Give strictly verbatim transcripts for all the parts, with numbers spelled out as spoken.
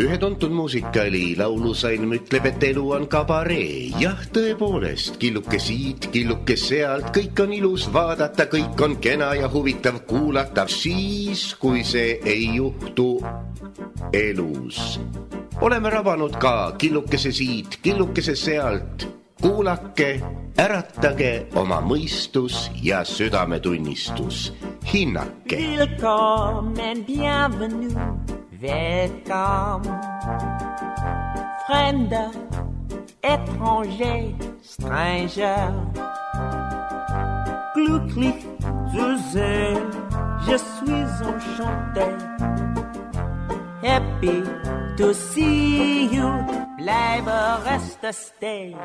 Ühe tuntud muusikali laulusalm ütleb, et elu on kabaree. Jah, tõepoolest, killuke siit, killuke sealt, kõik on ilus vaadata, kõik on kena ja huvitav kuulata. Siis, kui see ei juhtu elus. Oleme rabanud ka killukese siit, killukese sealt. Kuulake, äratage oma mõistus ja südametunnistus. Hinnake. Willkommen, bienvenue. Welcome, Fremder, étranger, stranger. Glücklich zu sehen, je suis enchanté. Happy to see you, bleibe, reste, stay.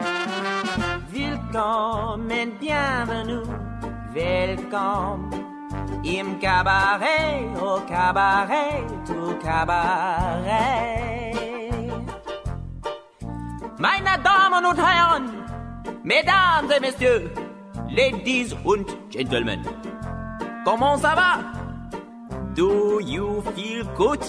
Willkommen, bienvenue, welcome. Im Cabaret, au Cabaret, au Cabaret. Meine Damen und Herren, Mesdames et Messieurs, Ladies und Gentlemen, comment ça va? Do you feel good?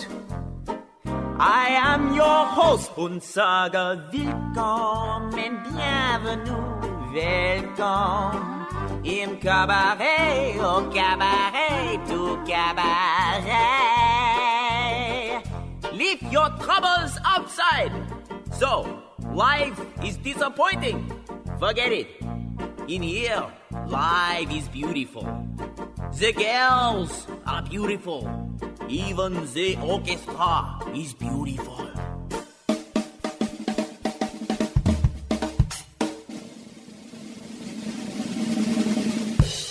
I am your host und sage willkommen, bienvenue, welcome. Im Cabaret, au Cabaret, au Cabaret. Leave your troubles outside. So, life is disappointing. Forget it. In here, life is beautiful. The girls are beautiful. Even the orchestra is beautiful.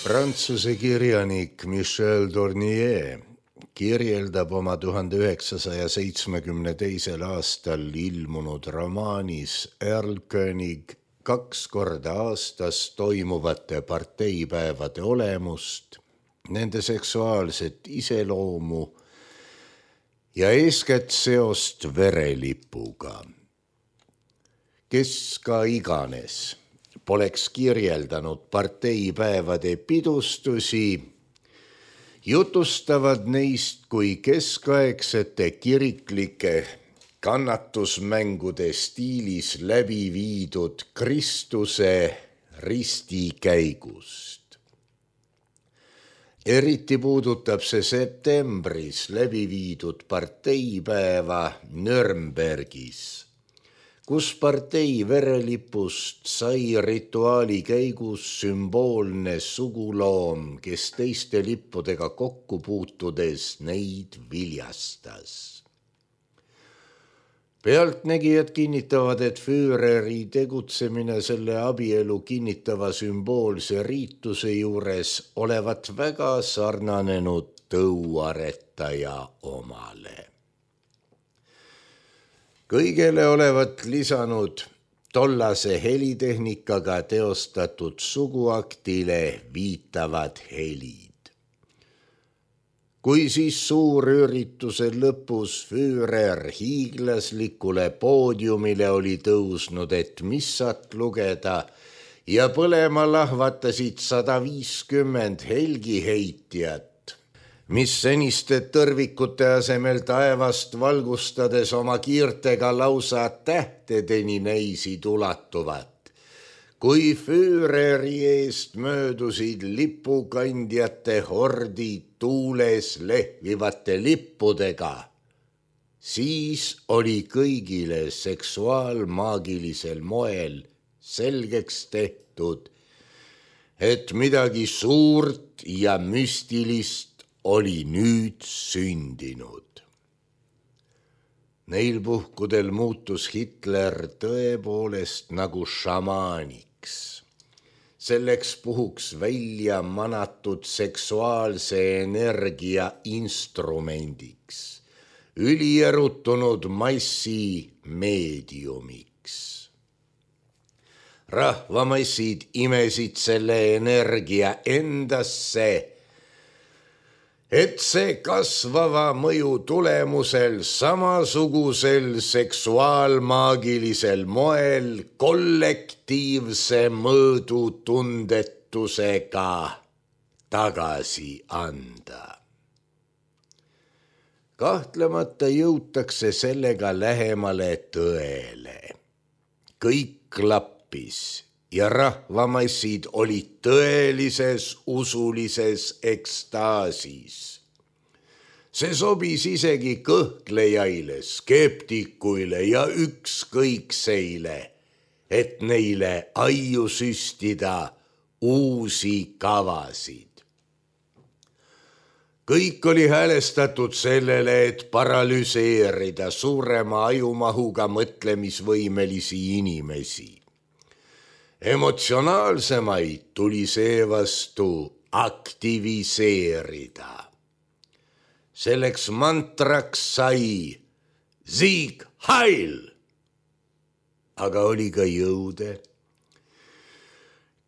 Prantsuse kirjanik Michel Tournier kirjeldab oma tuhande üheksasaja seitsmekümne teisel aastal ilmunud romaanis Erlkönig kaks korda aastas toimuvate parteipäevade olemust, nende seksuaalset iseloomu ja eeskätt seost verelipuga. Kes ka iganes poleks kirjeldanud parteipäevade pidustusi, jutustavad neist kui keskaegsete kiriklike kannatusmängude stiilis läbi viidud Kristuse ristikäigust. Eriti puudutab see septembris läbi viidud parteipäeva Nürnbergis, kus partei verelipust sai rituaali käigus sümboolne suguloom, kes teiste lippudega kokku puutudes neid viljastas. Pealtnägijad kinnitavad, et Führeri tegutsemine selle abielu kinnitava sümboolse riituse juures olevat väga sarnanenud tõuaretaja omale. Kõigele olevat lisanud tollase helitehnikaga teostatud suguaktile viitavad helid. Kui siis suurürituse lõpus Führer hiiglaslikule poodiumile oli tõusnud, et missat lugeda ja põlema lahvatasid sada viiskümmend helgiheitjat, mis seniste tõrvikute asemel taevast valgustades oma kiirtega lausa tähtedeni näisid ulatuvat. Kui Führeri eest möödusid lipukandjate hordid tuules lehvivate lippudega, siis oli kõigile seksuaalmaagilisel moel selgeks tehtud, et midagi suurt ja müstilist oli nüüd sündinud. Neil puhkudel muutus Hitler tõepoolest nagu šamaaniks. Selleks puhuks välja manatud seksuaalse energia instrumendiks, ülierutunud massi meediumiks. Rahvamassid imesid selle energia endasse, et see kasvava mõju tulemusel samasugusel seksuaalmaagilisel moel kollektiivse mõõdu tundetusega tagasi anda. Kahtlemata jõutakse sellega lähemale tõele. Kõik klappis ja rahvamassid olid tõelises usulises ekstaasis. See sobis isegi kõhklejaile, skeptikuile ja ükskõikseile, et neile aiu süstida uusi kavasid. Kõik oli häälestatud sellele, et paralüseerida suurema ajumahuga mõtlemisvõimelisi inimesi. Emotsionaalsemaid tuli seevastu aktiviseerida. Selleks mantraks sai Sieg Heil, aga oli ka jõude,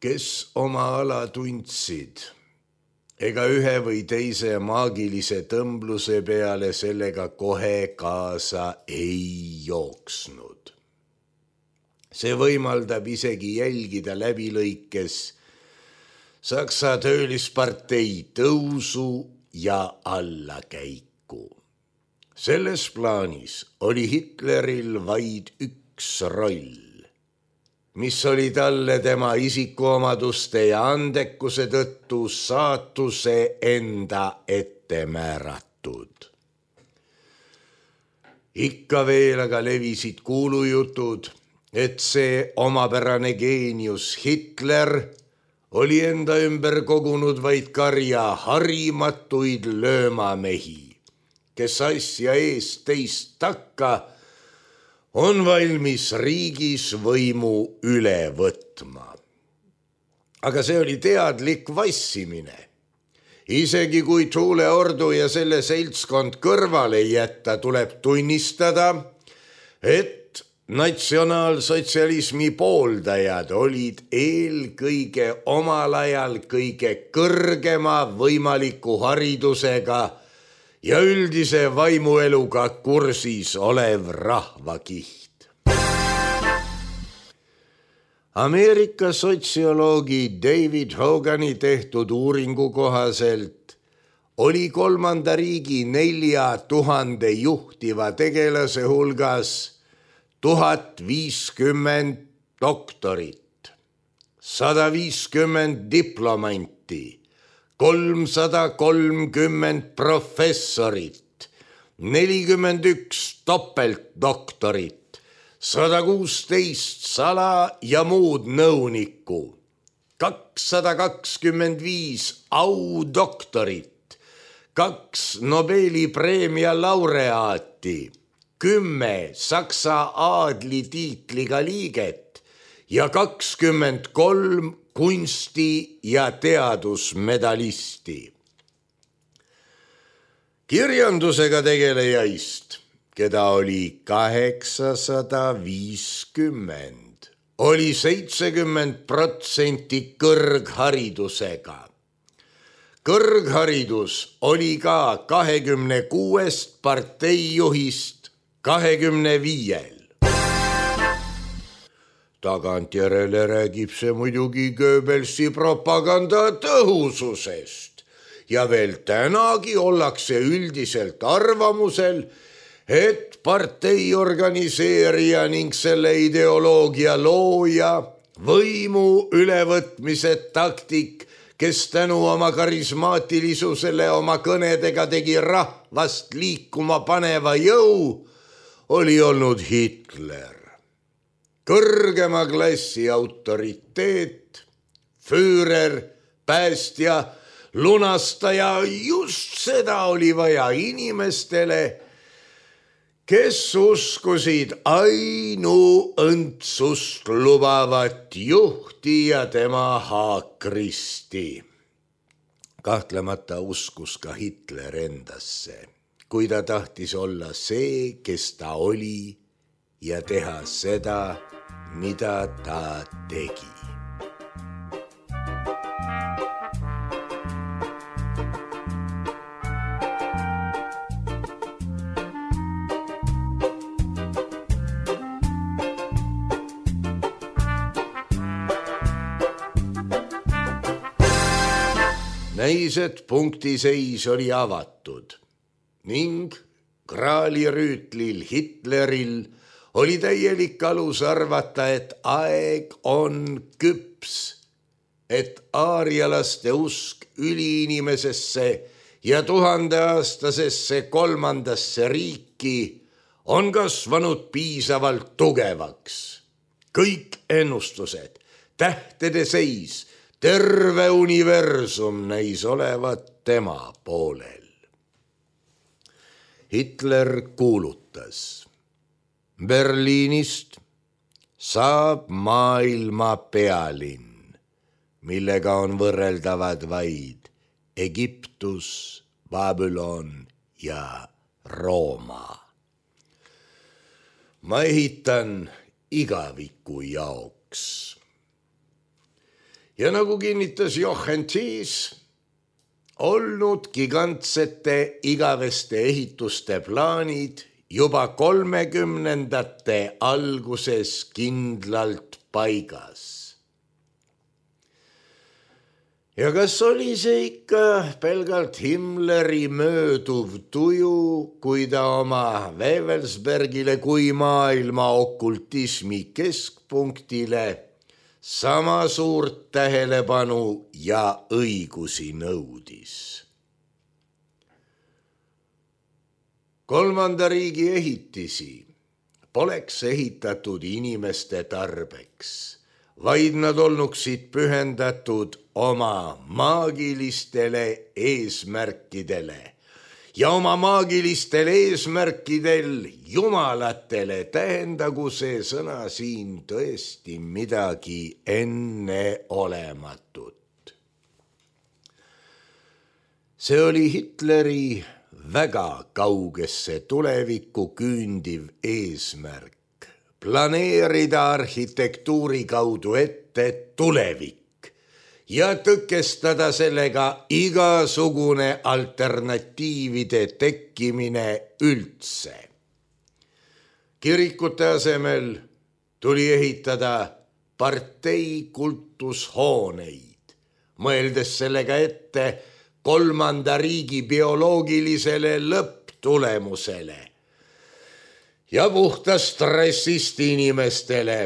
kes oma ala tundsid, ega ühe või teise maagilise tõmbluse peale sellega kohe kaasa ei jooksnud. See võimaldab isegi jälgida läbilõikes Saksa töölispartei tõusu ja allakäiku. Selles plaanis oli Hitleril vaid üks roll, mis oli talle tema isikuomaduste ja andekuse tõttu saatuse enda ette määratud. Ikka veel aga levisid kuulujutud, et see omapärane geenius Hitler oli enda ümber kogunud vaid karja harimatuid löömamehi, kes asja eest teist takka on valmis riigis võimu üle võtma. Aga see oli teadlik vassimine. Isegi kui tuuleordu ja selle seltskond kõrvale jätta, tuleb tunnistada, et natsionaalsotsialismi pooldajad olid eelkõige omal ajal kõige kõrgema võimaliku haridusega ja üldise vaimueluga kursis olev rahvakiht. Ameerika sotsioloogi David Hogani tehtud uuringu kohaselt oli kolmanda riigi nelja tuhande juhtiva tegelase hulgas tuhat viiskümmend doktorit, sada viiskümmend diplomanti, kolmsada kolmkümmend professorit, nelikümmend üks topeltdoktorit, sada kuusteist sala ja muud nõunikku, kakssada kakskümmend viis audoktorit, kaks Nobeli preemia laureaati, kümme Saksa aadli tiitliga liiget ja kakskümmend kolm kunsti- ja teadusmedalisti. Kirjandusega tegelejaist, keda oli kaheksasada viiskümmend, oli seitsekümmend protsenti kõrgharidusega. Kõrgharidus oli ka kahekümne kuuest parteijuhist kahekümne viiel. Tagantjärele räägib see muidugi Goebbelsi propaganda tõhususest ja veel tänagi ollakse üldiselt arvamusel, et partei organiseerija ning selle ideoloogia looja, võimu ülevõtmise taktik, kes tänu oma karismaatilisusele oma kõnedega tegi rahvast liikuma paneva jõu, oli olnud Hitler. Kõrgema klassi autoriteet, Führer, päästja, lunastaja, just seda oli vaja inimestele, kes uskusid ainuõndsust lubavat juhti ja tema haakristi. Kahtlemata uskus ka Hitler endasse, kui ta tahtis olla see, kes ta oli ja teha seda, mida ta tegi. näis, et punktiseis oli avatud ning kraalirüütlil Hitleril oli täielik alus arvata, et aeg on küps, et aarialaste usk üliinimesesse ja tuhandeaastasesse kolmandasse riiki on kasvanud piisavalt tugevaks. Kõik ennustused, tähtede seis, terve universum näis olevat tema poolel. Hitler kuulutas: Berliinist saab maailma pealinn, millega on võrreldavad vaid Egiptus, Babylon ja Rooma. Ma ehitan igaviku jaoks. Ja nagu kinnitas Jochen Thies, olnud gigantsete igaveste ehituste plaanid juba kolmekümnendate alguses kindlalt paigas. Ja kas oli see ikka pelgalt Himmleri mööduv tuju, kui ta oma Wewelsbergile kui maailma okultismi keskpunktile sama suurt tähelepanu ja õigusi nõudis? Kolmanda riigi ehitisi poleks ehitatud inimeste tarbeks, vaid nad olnuksid pühendatud oma maagilistele eesmärkidele ja oma maagilistel eesmärkidel jumalatele tähendagu see sõna siin tõesti midagi enneolematut. See oli Hitleri väga kaugesse tulevikku küündiv eesmärk, planeerida arhitektuuri kaudu ette tulevik ja tõkestada sellega igasugune alternatiivide tekkimine üldse. Kirikute asemel tuli ehitada partei kultushooneid, mõeldes sellega ette kolmanda riigi bioloogilisele lõpptulemusele ja puhta stressist inimestele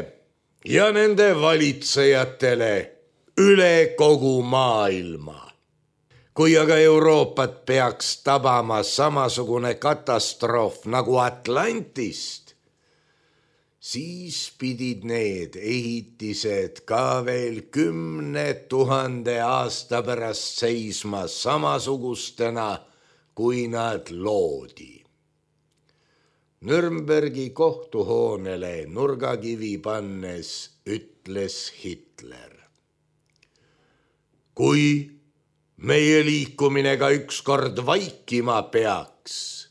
ja nende valitsejatele üle kogu maailma. Kui aga Euroopat peaks tabama samasugune katastroof nagu Atlantist, siis pidid need ehitised ka veel kümne tuhande aasta pärast seisma samasugustena, kui nad loodi. Nürnbergi kohtuhoonele nurgakivi pannes ütles Hitler: kui meie liikumine ka ükskord vaikima peaks,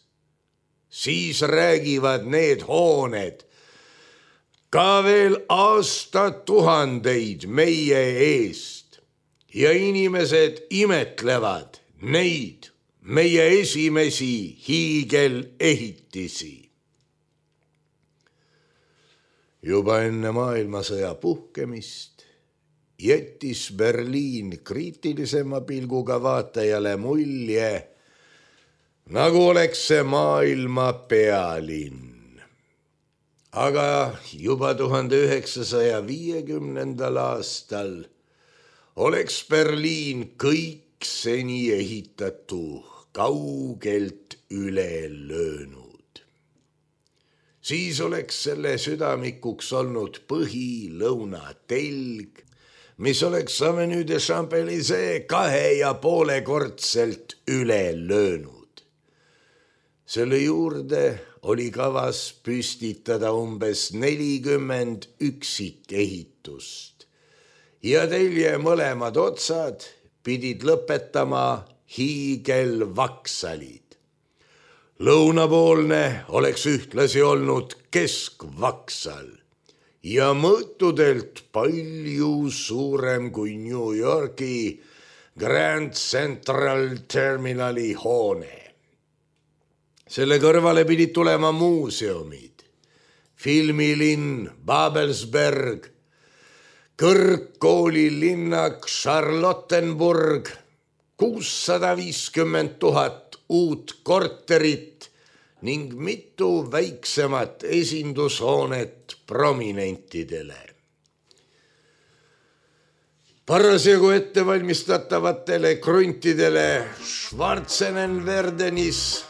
siis räägivad need hooned ka veel aastatuhandeid meie eest ja inimesed imetlevad neid meie esimesi hiigelehitisi. Juba enne maailmasõja puhkemist jättis Berliin kriitilisema pilguga vaatajale mulje, nagu oleks see maailma pealinn. Aga juba tuhande üheksasaja viiekümnendal aastal oleks Berliin kõik seni ehitatu kaugelt üle löönud. Siis oleks selle südamikuks olnud põhi-lõuna telg, mis oleks Avenue de Champs-Élysées kahe ja poole kordselt üle löönud. Selle juurde oli kavas püstitada umbes nelikümmend üksikehitust ja telje mõlemad otsad pidid lõpetama hiigelvaksalid. Lõunapoolne oleks ühtlasi olnud keskvaksal ja mõõtudelt palju suurem kui New Yorki Grand Central Terminali hoone. Selle kõrvale pidid tulema muuseumid, filmilinn Babelsberg, kõrgkoolilinnak Charlottenburg, kuussada viiskümmend tuhat uut korterit ning mitu väiksemat esindushoonet prominentidele. Parasjagu ettevalmistatavatele kruntidele Schwarzenenwerdenis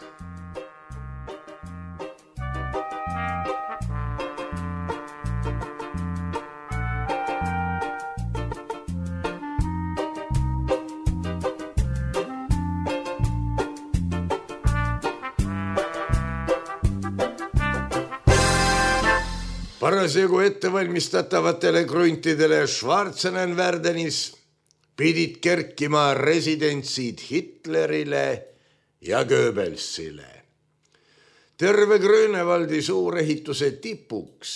Parasjagu ettevalmistatavatele kruntidele Schwarzenenwerdenis pidid kerkima residentsid Hitlerile ja Goebbelsile. Terve Grönevaldi suurehituse tipuks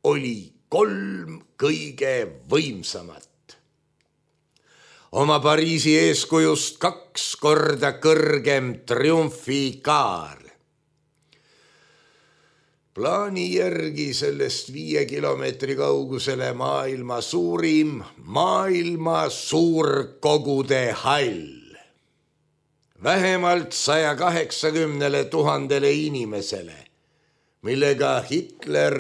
oli kolm kõige võimsamat. Oma Pariisi eeskujust kaks korda kõrgem triumfikaar. Plaani järgi sellest viie kilomeetri kaugusele maailma suurim maailma suurkogude hall. Vähemalt saja kaheksakümnele tuhandele inimesele, millega Hitler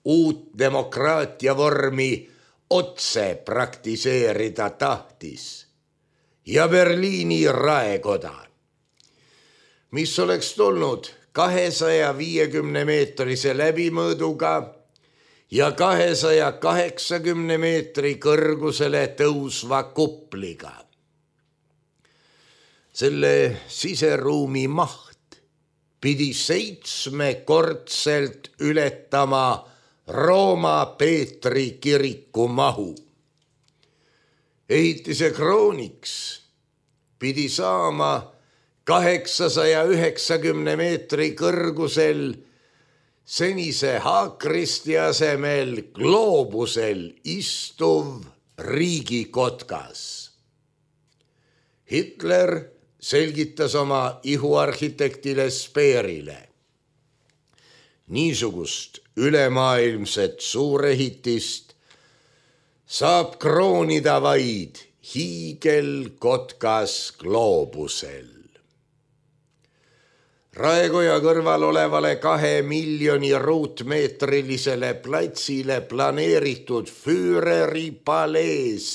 uut demokraatia vormi otse praktiseerida tahtis. Ja Berliini raekoda, mis oleks tulnud kahesaja viiekümne meetrise läbimõõduga ja kahesaja kaheksakümne meetri kõrgusele tõusva kupliga. Selle siseruumi maht pidi seitsmekordselt ületama Rooma Peetri kiriku mahu. Ehitise krooniks pidi saama kaheksasaja üheksakümne meetri kõrgusel senise haakristi asemel gloobusel istuv riigikotkas. Hitler selgitas oma ihuarhitektile Speerile. Niisugust ülemaailmset suurehitist saab kroonida vaid hiigelkotkas gloobusel. Raekoja kõrval olevale kahe miljoni ruutmeetrilisele platsile planeeritud Führeri palees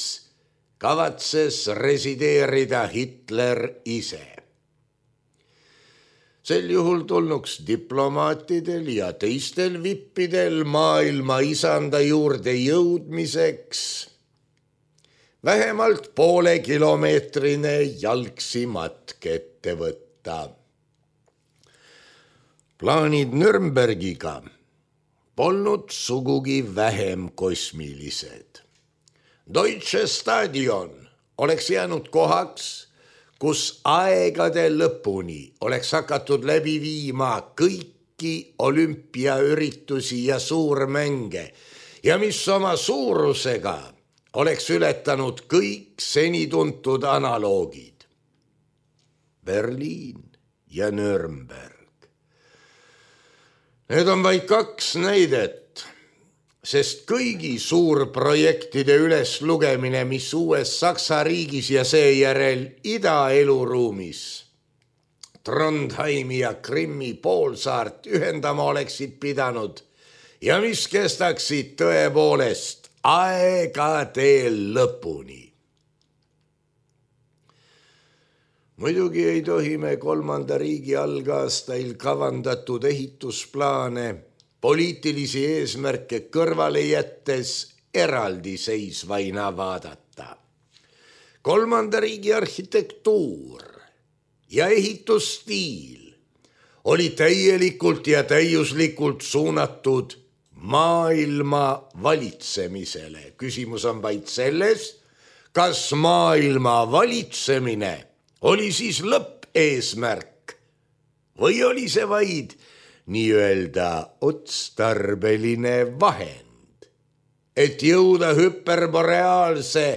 kavatses resideerida Hitler ise. Sel juhul tulnuks diplomaatidel ja teistel vippidel maailma isanda juurde jõudmiseks vähemalt poole kilomeetrine jalgsi matk ette võtta. Plaanid Nürnbergiga polnud sugugi vähem kosmilised. Deutsche Stadion oleks jäänud kohaks, kus aegade lõpuni oleks hakatud läbi viima kõiki olümpiaüritusi ja suurmänge ja mis oma suurusega oleks ületanud kõik seni tuntud analoogid. Berliin ja Nürnberg. Need on vaid kaks näidet, sest kõigi suurprojektide üles lugemine, mis uues Saksa riigis ja seejärel idaeluruumis Trondheimi ja Krimmi poolsaart ühendama oleksid pidanud ja mis kestaksid tõepoolest aegade lõpuni. Muidugi ei tohi me kolmanda riigi algaastail kavandatud ehitusplaane poliitilisi eesmärke kõrvale jättes eraldi seisvaina vaadata. Kolmanda riigi arhitektuur ja ehitusstiil oli täielikult ja täiuslikult suunatud maailma valitsemisele. Küsimus on vaid selles, kas maailma valitsemine oli siis lõppeesmärk või oli see vaid nii-öelda otstarbeline vahend, et jõuda hüperboreaalse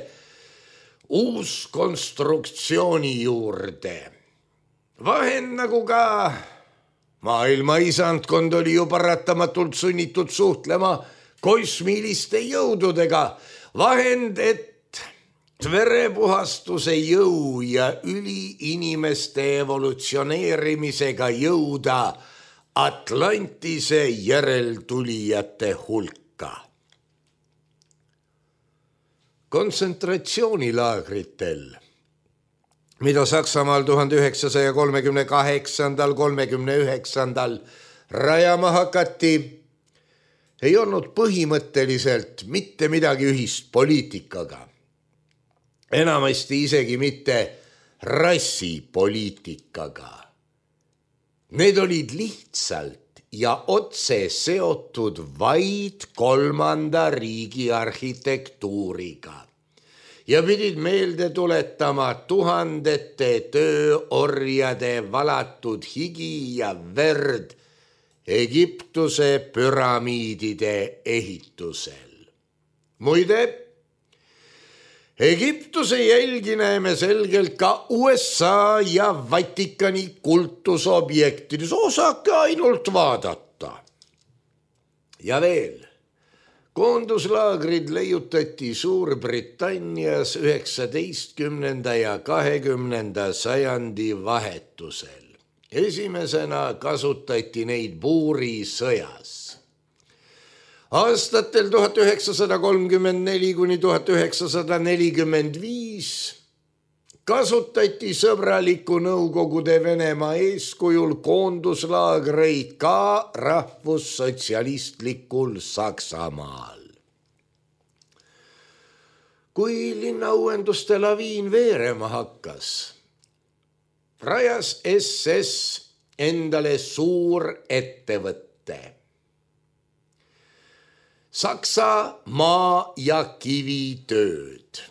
uuskonstruktsiooni juurde. Vahend nagu ka maailma isandkond oli ju paratamatult sunnitud suhtlema kosmiliste jõududega. Vahend, et verepuhastuse jõu ja üliinimeste evolutsioneerimisega jõuda Atlantise järeltulijate hulka. Kontsentratsioonilaagritel, mida Saksamaal tuhande üheksasaja kolmekümne kaheksandal kolmekümne üheksandal rajama hakati, ei olnud põhimõtteliselt mitte midagi ühist poliitikaga. Enamasti isegi mitte rassipoliitikaga. Need olid lihtsalt ja otse seotud vaid kolmanda riigi arhitektuuriga ja pidid meelde tuletama tuhandete tööorjade valatud higi ja verd Egiptuse püramiidide ehitusel. Muide, Egiptuse jälgi näeme selgelt ka U S A ja Vatikani kultusobjektides, osake ainult vaadata. Ja veel, koonduslaagrid leiutati Suurbritannias üheksateistkümnenda ja kahekümnenda sajandi vahetusel. Esimesena kasutati neid buurisõjas. Aastatel tuhat üheksasada kolmkümmend neli kuni tuhat üheksasada nelikümmend viis kasutati sõbraliku Nõukogude Venemaa eeskujul koonduslaagreid ka rahvussotsialistlikul Saksamaal. Kui linnauuenduste laviin veerema hakkas, rajas S S endale suur ettevõtte. Saksa maa- ja kivitööd,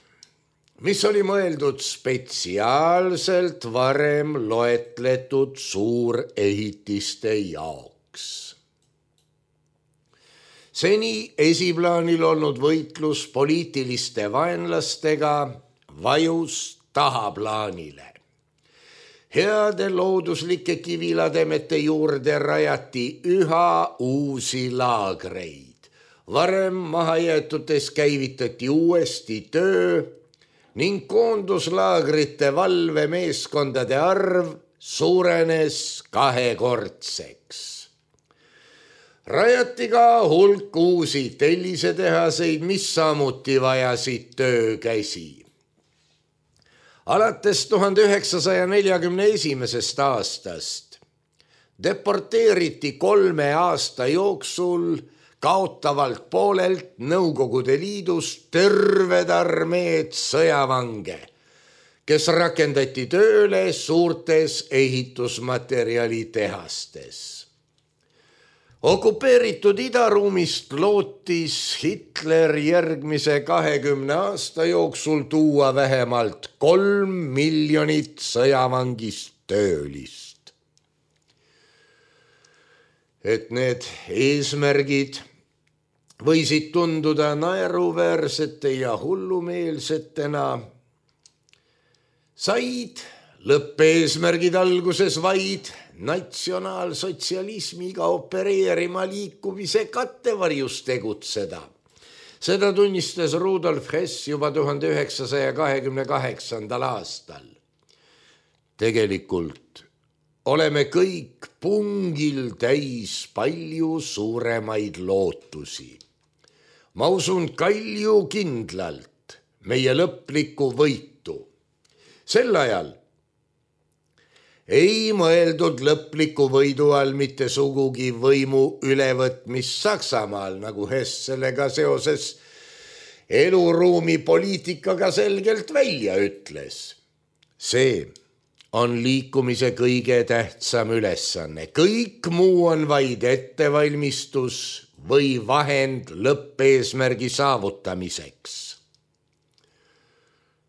mis oli mõeldud spetsiaalselt varem loetletud suurehitiste jaoks. Seni esiplaanil olnud võitlus poliitiliste vaenlastega vajus tahaplaanile. Heade looduslike kivilademete juurde rajati üha uusi laagreid. Varem mahajäetutes käivitati uuesti töö ning koonduslaagrite valvemeeskondade arv suurenes kahekordseks. Rajati ka hulk uusi tellisetehaseid, mis samuti vajasid töökäsi. Alates tuhande üheksasaja neljakümne esimesest aastast deporteeriti kolme aasta jooksul kaotavalt poolelt Nõukogude Liidust terved armeed sõjavange, kes rakendati tööle suurtes ehitusmaterjalitehastes. Okupeeritud idaruumist lootis Hitler järgmise kahekümne aasta jooksul tuua vähemalt kolm miljonit sõjavangist töölist. Et need eesmärgid võisid tunduda naeruväärsete ja hullumeelsetena, said lõppeesmärgid alguses vaid natsionaalsotsialismiga opereerima liikumise kattevarjus tegutseda. Seda tunnistas Rudolf Hess juba tuhande üheksasaja kahekümne kaheksandal aastal. Tegelikult oleme kõik pungil täis palju suuremaid lootusi. Ma usun kalju kindlalt meie lõplikku võitu. Sel ajal ei mõeldud lõpliku võidu all mitte sugugi võimu ülevõtmist Saksamaal, nagu Hess sellega seoses eluruumi poliitikaga selgelt välja ütles. See on liikumise kõige tähtsam ülesanne. Kõik muu on vaid ettevalmistus või vahend lõppeesmärgi saavutamiseks.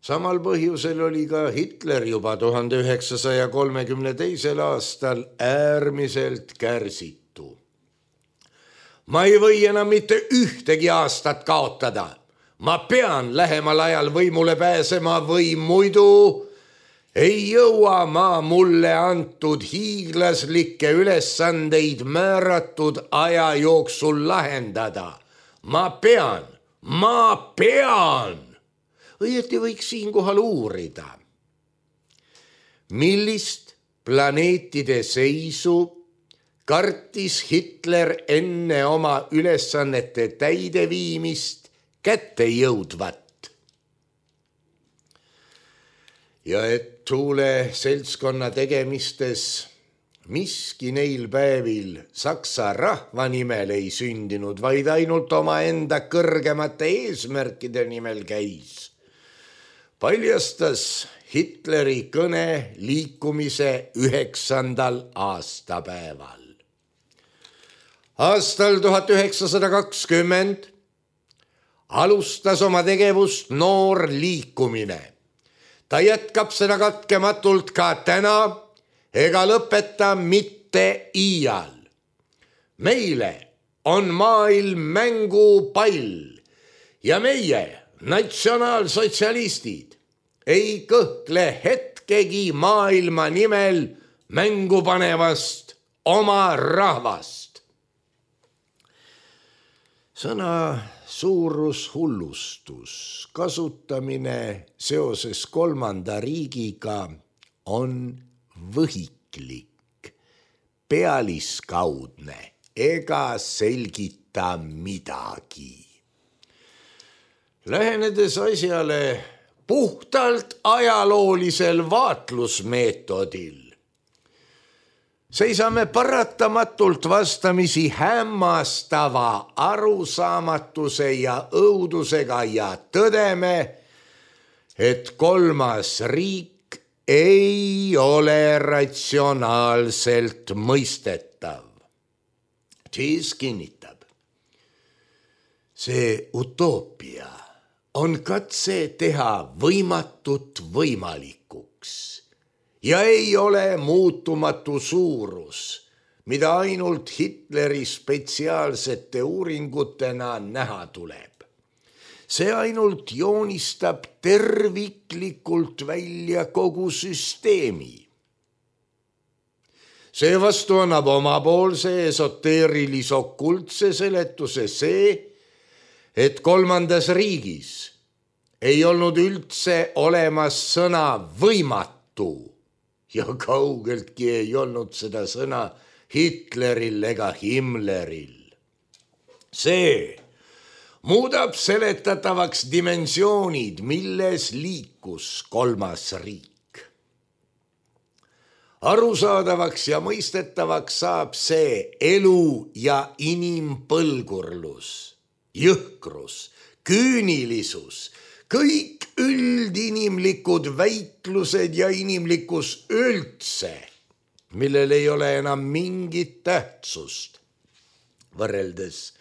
Samal põhjusel oli ka Hitler juba tuhande üheksasaja kolmekümne teisel aastal äärmiselt kärsitu. Ma ei või enam mitte ühtegi aastat kaotada. Ma pean lähemal ajal võimule pääsema või muidu ei jõua ma mulle antud hiiglaslikke ülesandeid määratud aja jooksul lahendada. Ma pean, ma pean. õieti võiks siinkohal uurida, millist planeetide seisu kartis Hitler enne oma ülesannete täideviimist kätte jõudvat. Ja et Thule seltskonna tegemistes miski neil päevil saksa rahva nimel ei sündinud, vaid ainult oma enda kõrgemate eesmärkide nimel käis, paljastas Hitleri kõne liikumise üheksandal aastapäeval. Aastal tuhat üheksasada kakskümmend alustas oma tegevust noor liikumine. Ta jätkab seda katkematult ka täna ega lõpeta mitte iial. Meile on maailm mängupall ja meie, natsionaalsotsialistid, ei kõhkle hetkegi maailma nimel mängu panevast oma rahvast. Sõna suurushullustus kasutamine seoses kolmanda riigiga on võhiklik, pealiskaudne ega selgita midagi. Lähenedes asjale puhtalt ajaloolisel vaatlusmeetodil, seisame paratamatult vastamisi hämmastava arusaamatuse ja õudusega ja tõdeme, et kolmas riik ei ole ratsionaalselt mõistetav. Siis kinnitab, see utoopia on katse teha võimatut võimalikuks ja ei ole muutumatu suurus, mida ainult Hitleri spetsiaalsete uuringutena näha tuleb. See ainult joonistab terviklikult välja kogu süsteemi. Seevastu annab omapoolse esoteerilis-okultse seletuse see, et kolmandas riigis ei olnud üldse olemas sõna võimatu ja kaugeltki ei olnud seda sõna Hitleril ega Himmleril. See muudab seletatavaks dimensioonid, milles liikus kolmas riik. Arusaadavaks ja mõistetavaks saab see elu ja inimpõlgurlus, jõhkrus, küünilisus, kõik üldinimlikud väiklused ja inimlikkus üldse, millel ei ole enam mingit tähtsust võrreldes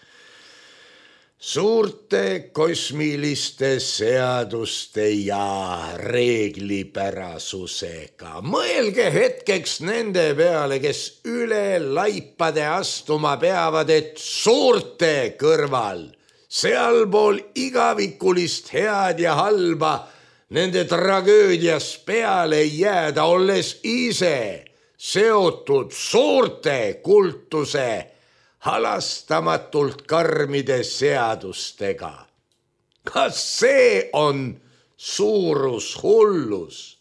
suurte kosmiliste seaduste ja reeglipärasusega. Mõelge hetkeks nende peale, kes üle laipade astuma peavad, et suurte kõrval, sealpool igavikulist head ja halba, nende tragöödias peale jääda, olles ise seotud suurte kultuse halastamatult karmide seadustega. Kas see on suurushullus?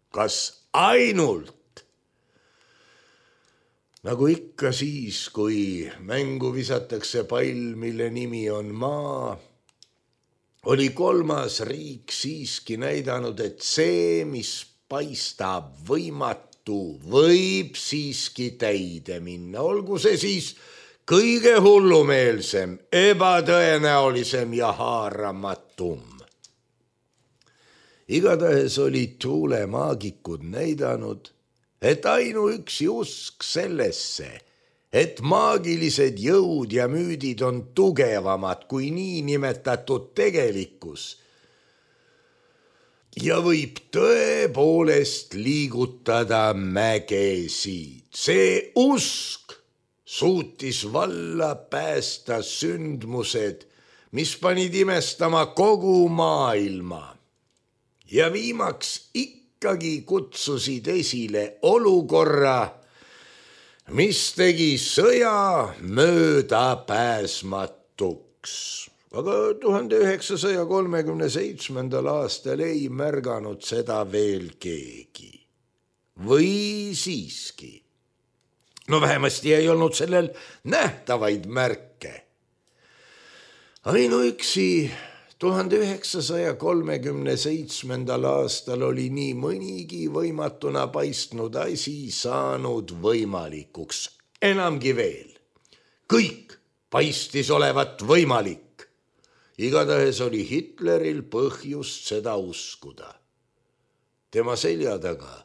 Kas ainult? Nagu ikka siis, kui mängu visatakse pall, mille nimi on maa, oli kolmas riik siiski näidanud, et see, mis paistab võimatu, võib siiski täide minna. Olgu see siis kõige hullumeelsem, ebatõenäolisem ja haaramatum. Igatahes olid Thule maagikud näidanud, et ainuüksi usk sellesse, et maagilised jõud ja müüdid on tugevamad kui niinimetatud tegelikkus ja võib tõepoolest liigutada mägesid. See usk suutis valla päästa sündmused, mis panid imestama kogu maailma ja viimaks ikka ikkagi kutsusid esile olukorra, mis tegi sõja mööda pääsmatuks. aga tuhande üheksasaja kolmekümne seitsmendal aastal ei märganud seda veel keegi. Või siiski? No vähemasti ei olnud sellel nähtavaid märke. Ainuüksi tuhande üheksasaja kolmekümne seitsmendal aastal oli nii mõnigi võimatuna paistnud asi saanud võimalikuks. Enamgi veel. Kõik paistis olevat võimalik. Igatahes oli Hitleril põhjust seda uskuda. Tema selja taga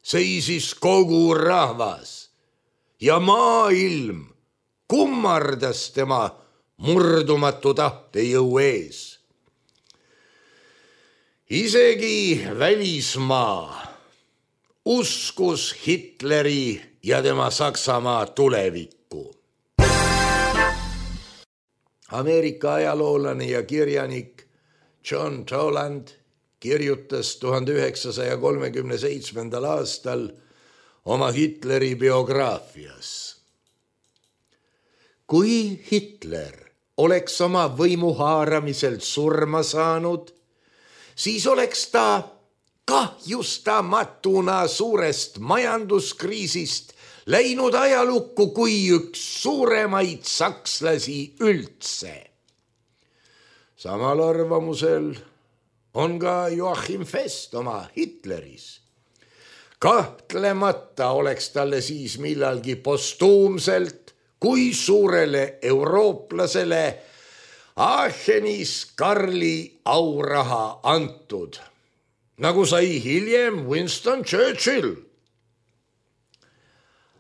seisis kogu rahvas ja maailm kummardas tema murdumatu tahtejõu ees. Isegi välismaa uskus Hitleri ja tema Saksamaa tulevikku. Ameerika ajaloolane ja kirjanik John Toland kirjutas tuhande üheksasaja kolmekümne seitsmendal aastal oma Hitleri biograafias. Kui Hitler oleks oma võimu haaramiselt surma saanud, siis oleks ta kahjustamatuna suurest majanduskriisist läinud ajalukku kui üks suuremaid sakslasi üldse. Samal arvamusel on ka Joachim Fest oma Hitleris. Kahtlemata oleks talle siis millalgi postuumselt kui suurele eurooplasele Aachenis Karli auraha antud, nagu sai hiljem Winston Churchill.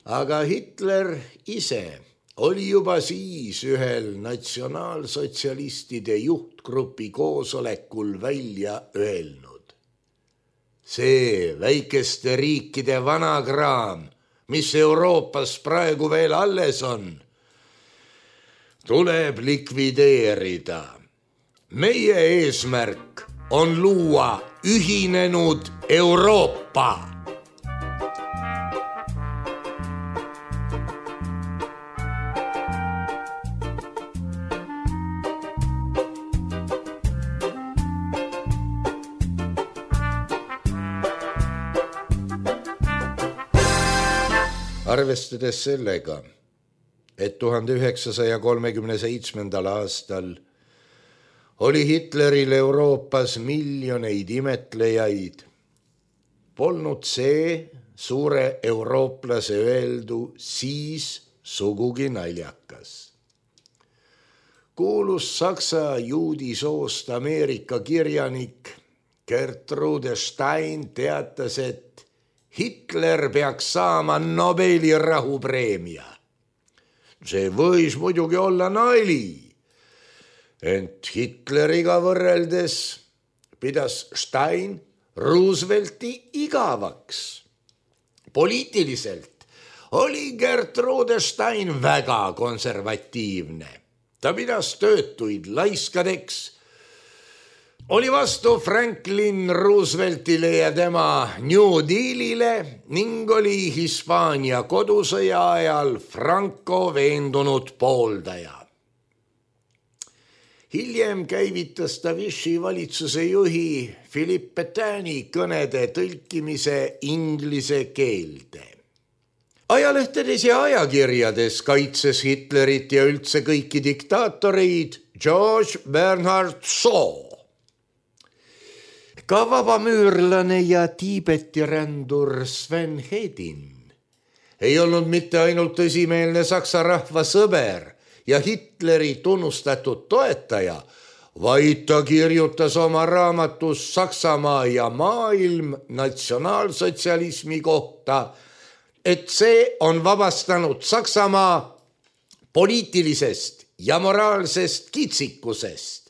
Aga Hitler ise oli juba siis ühel natsionaalsotsialistide juhtgrupi koosolekul välja öelnud. See väikeste riikide vanakraam, mis Euroopas praegu veel alles on, tuleb likvideerida. Meie eesmärk on luua ühinenud Euroopa. Arvestades sellega, et tuhande üheksasaja kolmekümne seitsmendal aastal oli Hitleril Euroopas miljoneid imetlejaid, polnud see suure eurooplase öeldu siis sugugi naljakas. Kuulus saksa juudi soost Ameerika kirjanik Gertrude Stein teatas, et Hitler peaks saama Nobeli rahupreemia. See võis muidugi olla nali, ent Hitleriga võrreldes pidas Stein Roosevelti igavaks. Poliitiliselt oli Gertrude Stein väga konservatiivne. Ta pidas töötuid laiskadeks, oli vastu Franklin Rooseveltile ja tema New Dealile ning oli Hispaania kodusõja ajal Franco veendunud pooldaja. Hiljem käivitas ta Vichy valitsuse juhi Philippe Pétaini kõnede tõlkimise inglise keelde. Ajalehtedes ja ajakirjades kaitses Hitlerit ja üldse kõiki diktaatoreid George Bernhard Shaw. Ka vabamüürlane ja Tiibeti rändur Sven Hedin ei olnud mitte ainult tõsimeelne saksa rahva sõber ja Hitleri tunnustatud toetaja, vaid ta kirjutas oma raamatus Saksamaa ja maailm natsionaalsotsialismi kohta, et see on vabastanud Saksamaa poliitilisest ja moraalsest kitsikusest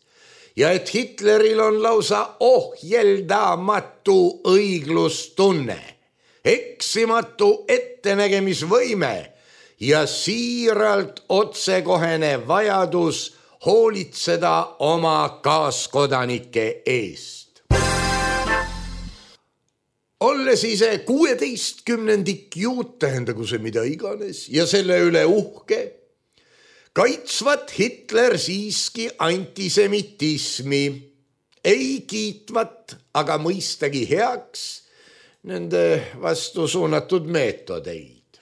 ja et Hitleril on lausa ohjeldamatu õiglustunne, eksimatu ettenägemisvõime ja siiralt otsekohene vajadus hoolitseda oma kaaskodanike eest. Olles ise kuueteistkümnendik juut, tähendagu see mida iganes, ja selle üle uhke, kaitsvat Hitler siiski antisemitismi, ei kiitvat, aga mõistagi heaks nende vastu suunatud meetodeid.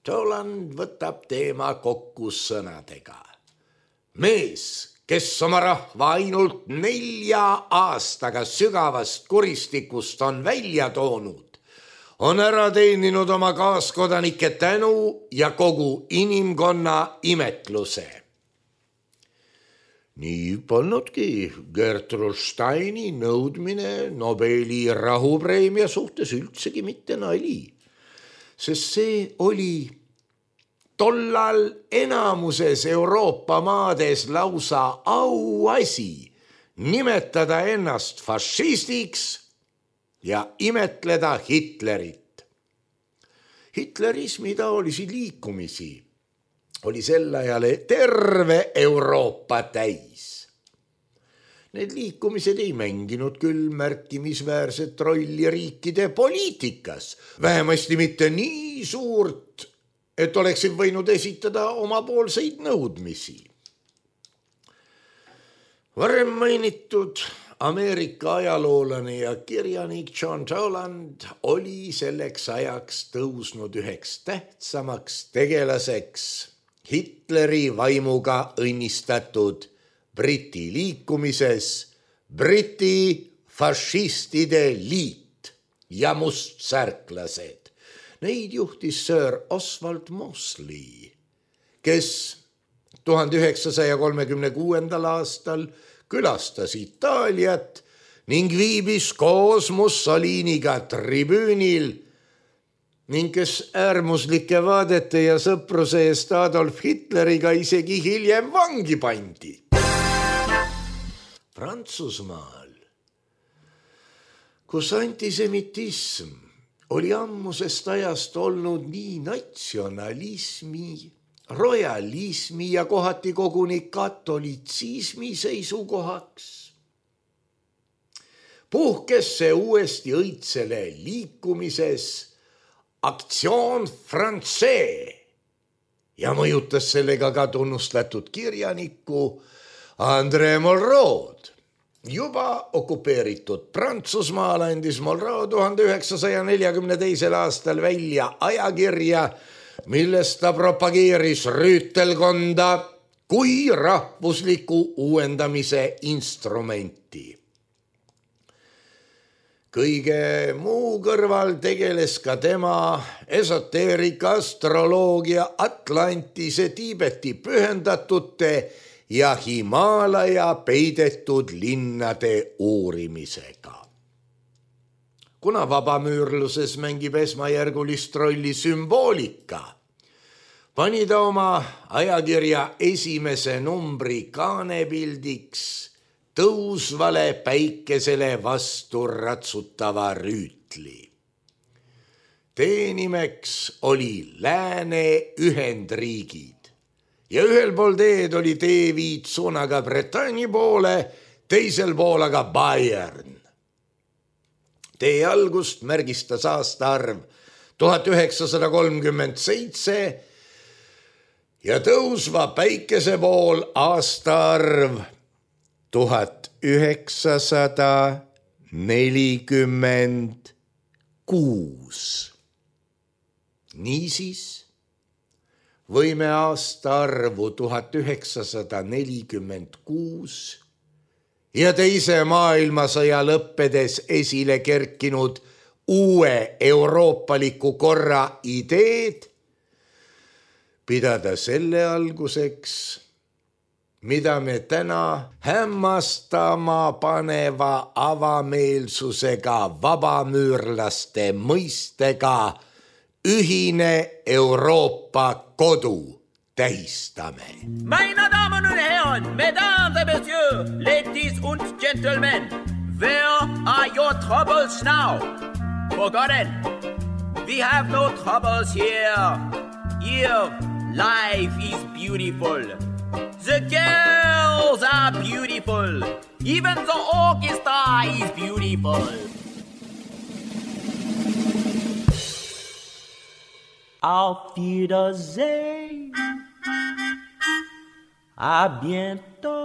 Toland võtab teema kokku sõnadega. Mees, kes oma rahva ainult nelja aastaga sügavast kuristikust on välja toonud, on ära teeninud oma kaaskodanike tänu ja kogu inimkonna imetluse. Nii polnudki Gertrude Steini nõudmine Nobeli rahupreemia suhtes üldsegi mitte nali, sest see oli tollal enamuses Euroopa maades lausa auasi nimetada ennast fašistiks ja imetleda Hitlerit. Hitlerismi taolisi liikumisi oli sel ajal terve Euroopa täis. Need liikumised ei mänginud küll märkimisväärset rolli riikide poliitikas, vähemasti mitte nii suurt, et oleksid võinud esitada omapoolseid nõudmisi. Varem mainitud Ameerika ajaloolane ja kirjanik John Toland oli selleks ajaks tõusnud üheks tähtsamaks tegelaseks Hitleri vaimuga õnnistatud Briti liikumises Briti fašistide liit ja mustsärklased. Neid juhtis Sir Oswald Mosley, kes tuhande üheksasaja kolmekümne kuuendal aastal külastas Itaaliat ning viibis koos Mussoliniga tribüünil ning kes äärmuslike vaadete ja sõpruse eest Adolf Hitleriga isegi hiljem vangi pandi. Prantsusmaal, kus antisemitism oli ammusest ajast olnud nii natsionalismi, royalismi ja kohati koguni katolitsismi seisukohaks, puhkes see uuesti õitsele liikumises Aktsioon Français ja mõjutas sellega ka tunnustatud kirjanikku André Malraux. Juba okupeeritud Prantsusmaal andis Malraux tuhande üheksasaja neljakümne teisel aastal välja ajakirja, milles ta propageeris rüütelkonda kui rahvusliku uuendamise instrumenti. Kõige muu kõrval tegeles ka tema esoteerika, astroloogia, Atlantise, Tiibeti pühendatute ja Himaalaja peidetud linnade uurimisega. Kuna vabamüürluses mängib esmajärgulist rolli sümboolika, pani ta oma ajakirja esimese numbri kaanepildiks tõusvale päikesele vastu ratsutava rüütli. Teenimeks oli Lääne Ühendriigid ja ühel pool teed oli teeviit suunaga Bretagne poole, teisel pool aga Bayern. Tee algust märgistas aastaarv tuhat üheksasada kolmkümmend seitse ja tõusva päikese pool aastaarv tuhat üheksasada nelikümmend kuus. Niisiis võime aastaarvu tuhat üheksasada nelikümmend kuus ja teise maailmasõja lõppedes esile kerkinud uue euroopaliku korra ideed pidada selle alguseks, mida me täna hämmastama paneva avameelsusega vabamüürlaste mõistega ühine Euroopa kodu tähistame. Meine Damen und Herren, Mesdames et Messieurs, ladies und gentlemen, where are your troubles now? Forgotten, we have no troubles here. Here, life is beautiful. The girls are beautiful. Even the orchestra is beautiful. Auf Wiedersehen. À bientôt.